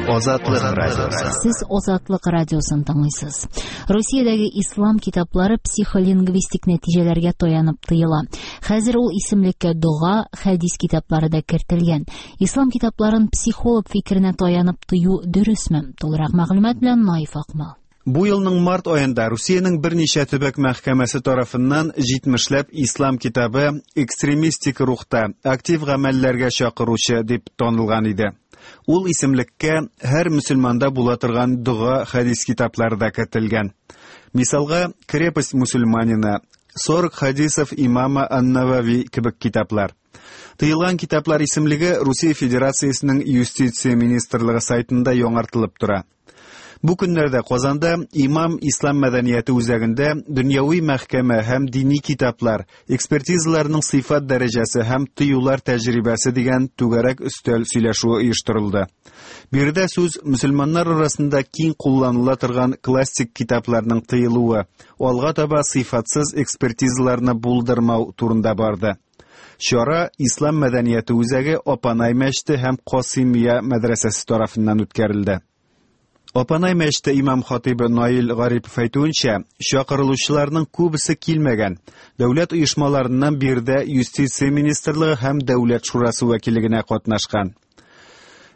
Азатлык радиосы. Сез Азатлык радиосын тыңлыйсыз. Русиядәге ислам китаплары психолингвистик нәтиҗәләргә таянып тыела. Хәзер ул исемлеккә дога, хәдис китаплары да кертелгән. Ислам китапларын психолог фикеренә таянып тыю дөресме? Тулырак мәгълүмат белән Наиф Акмал. Бу елның март аенда Русиянең берничә төбәк мәхкәмәсе тарафыннан 70ләп ислам китабы экстремистик рухта актив гамәлләргә чакыручы дип танылган иде. Ул исемлеккә һәр мөселманда була торган дога, хәдис китаплары да кертелгән. Мисалга, Крепость мусульманина, 40 хадисов имама Ан-Навави кебек китаплар. Тыелган китаплар исемлеге Русия Федерациясенең Юстиция министрлыгы сайтында яңартылып тора. Бу көннәрдә Казанда Имам Ислам мәдәнияте үзәгендә дөньяви мәхкәмә һәм дини китаплар, экспертизаларның сыйфат дәрәҗәсе һәм тыюлар тәҗрибәсе дигән түгәрәк өстәл сөйләшүе оештырылды. Биредә сүз мөселманнар арасында киң кулланыла торган классик китапларның тыелуы, алга таба сыйфатсыз экспертизаларны булдырмау турында барды. Чара Ислам мәдәнияте үзәге Апанай мәчете һәм Касыймия мәдрәсәсе тарафыннан үткәрелде. Апанай мәчете имам хатыйбы Наил Гарипов әйтүенчә, чакырылучыларның күбесе килмәгән. Дәүләт оешмаларыннан биредә Юстиция министрлыгы һәм Дәүләт шурасы вәкиле генә катнашкан.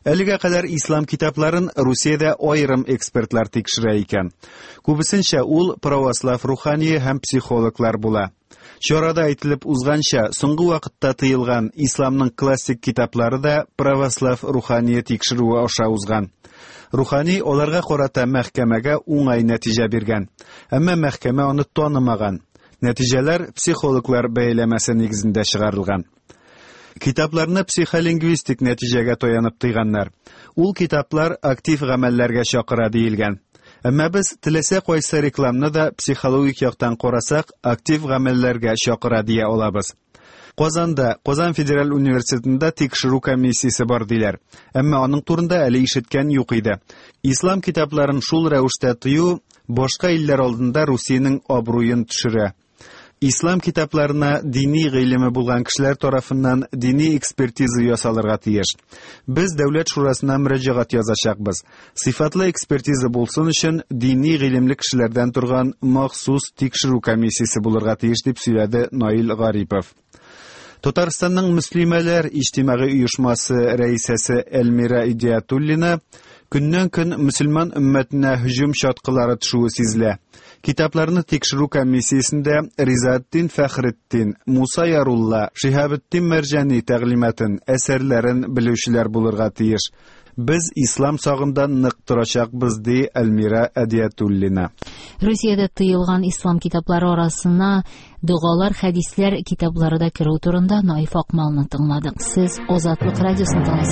Әлегә кадәр ислам китапларын Русиядә аерым экспертлар тикшерә икән. Күбесенчә ул православ рухание һәм психологлар була. Чарада әйтелеп узганча, соңгы вакытта тыелган исламның классик китаплары да православ рухание тикшерүе аша узган. Рухани аларга карата мәхкәмәгә уңай нәтиҗә биргән. Әмма мәхкәмә аны танымаган. Нәтиҗәләр психологлар бәяләмәсе нигезендә чыгарылган. Китапларны психолингвистик нәтиҗәгә таянып тыйганнар. Ул китаплар актив гамәлләргә чакыра диелгән. Әмма без теләсә кайсы рекламны да психологик яктан карасак, актив гамәлләргә чакыра дия алабыз. Казанда, Казан федераль университетында тикшерү комиссиясе бар диләр. Әмма аның турында әле ишеткән юк иде. Ислам китапларын шул рәвештә тыю башка илләр алдында Русиянең абруен төшерә. Ислам китапларына дини гыйлеме булган кешеләр тарафыннан дини экспертиза ясалырга тиеш. Без Дәүләт шурасына мөрәҗәгать язачакбыз. Сыйфатлы экспертиза булсын өчен дини гыйлемле кешеләрдән торган махсус тикшерү комиссиясе булырга тиеш, дип сөйләде Наил Гарипов. Татарстанның мөслимәләр иҗтимагый оешмасы рәисәсе Эльмира Идиатуллина көннән-көн мөселман өммәтенә һөҗүм чаткылары төшүе сизелә. Китапларны тикшерү комиссиясендә Ризаэддин Фәхретдин, Муса Ярулла, Шиһабетдин Мәрҗани тәгълиматын, әсәрләрен белүчеләр булырга тиеш. Без ислам сагында нык торачакбыз, ди Эльмира Әдиятуллина. Русиядә тыелган ислам китаплары арасына догалар, хәдисләр китаплары да керү турында Наиф Акмалны тыңладык. Сез Азатлык радиосын тыңлыйсыз.